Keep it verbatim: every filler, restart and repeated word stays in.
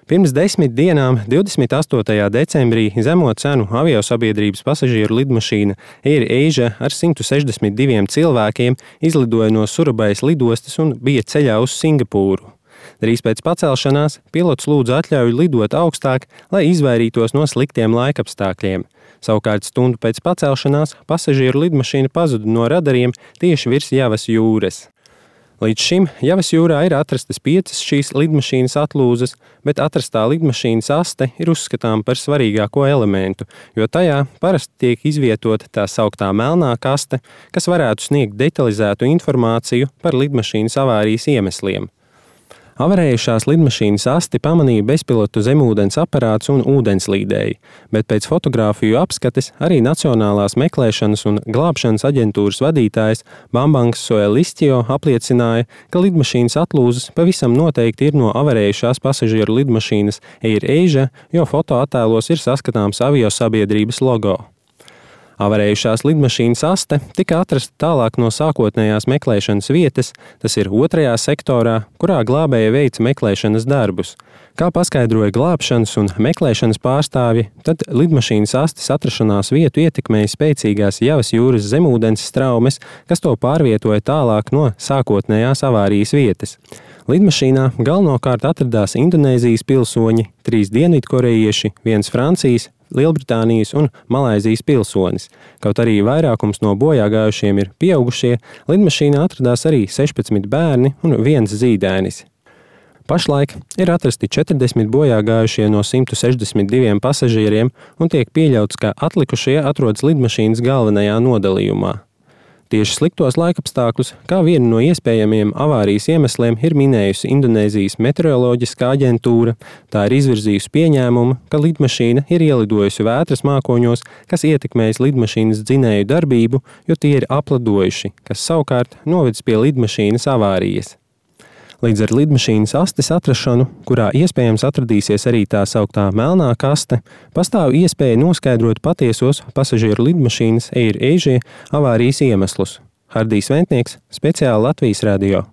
Pirms desmit dienām, divdesmit astotajā decembrī, zemo cenu aviosabiedrības pasažieru lidmašīna AirAsia ar simt sešdesmit diviem cilvēkiem izlidoja no Surabajas lidostas un bija ceļā uz Singapūru. Drīz pēc pacelšanās pilots lūdza atļauju lidot augstāk, lai izvairītos no sliktiem laikapstākļiem. Savukārt stundu pēc pacelšanās pasažieru lidmašīna pazuda no radariem tieši virs Javas jūras. Līdz šim Javas jūrā ir atrastas piecas šīs lidmašīnas atlūzas, bet atrastā lidmašīnas aste ir uzskatāma par svarīgāko elementu, jo tajā parasti tiek izvietota tā sauktā melnā kaste, kas varētu sniegt detalizētu informāciju par lidmašīnas avārijas iemesliem. Avarējušās lidmašīnas asti pamanīja bezpilotu zemūdens aparāts un ūdenslīdēji, bet pēc fotogrāfiju apskates arī Nacionālās meklēšanas un glābšanas aģentūras vadītājs Bambangs Soelistio apliecināja, ka lidmašīnas atlūzas pavisam noteikti ir no avarējušās pasažieru lidmašīnas AirAsia, jo fotoattēlos ir saskatāms aviosabiedrības logo. Avarējušās lidmašīnas aste tika atrasta tālāk no sākotnējās meklēšanas vietas, tas ir otrajā sektorā, kurā glābēji veica meklēšanas darbus. Kā paskaidroja glābšanas un meklēšanas pārstāvji, tad lidmašīnas astes atrašanās vietu ietekmēja spēcīgās Javas jūras zemūdens straumes, kas to pārvietoja tālāk no sākotnējās avārijas vietas. Lidmašīnā galvenokārt atradās Indonēzijas pilsoņi, trīs dienvidkorejieši, viens Francijas, Lielbritānijas un Malaizijas pilsonis. Kaut arī vairākums no bojāgājušiem ir pieaugušie, lidmašīnā atradās arī sešpadsmit bērni un viens zīdainis. Pašlaik ir atrasti četrdesmit bojāgājušie no simt sešdesmit diviem pasažieriem un tiek pieļauts, ka atlikušie atrodas lidmašīnas galvenajā nodalījumā. Tieši sliktos laikapstākļus, kā vienu no iespējamiem avārijas iemesliem, ir minējusi Indonēzijas meteoroloģiskā aģentūra. Tā ir izvirzījusi pieņēmumu, ka lidmašīna ir ielidojusi vētras mākoņos, kas ietekmējis lidmašīnas dzinēju darbību, jo tie ir apladojuši, kas savukārt novedis pie lidmašīnas avārijas. Līdz ar lidmašīnas astes atrašanu, kurā iespējams atradīsies arī tā sauktā melnā kaste, pastāv iespēja noskaidrot patiesos pasažieru lidmašīnas AirAsia avārijas iemeslus. Hardijs Ventnieks, speciāli Latvijas radio.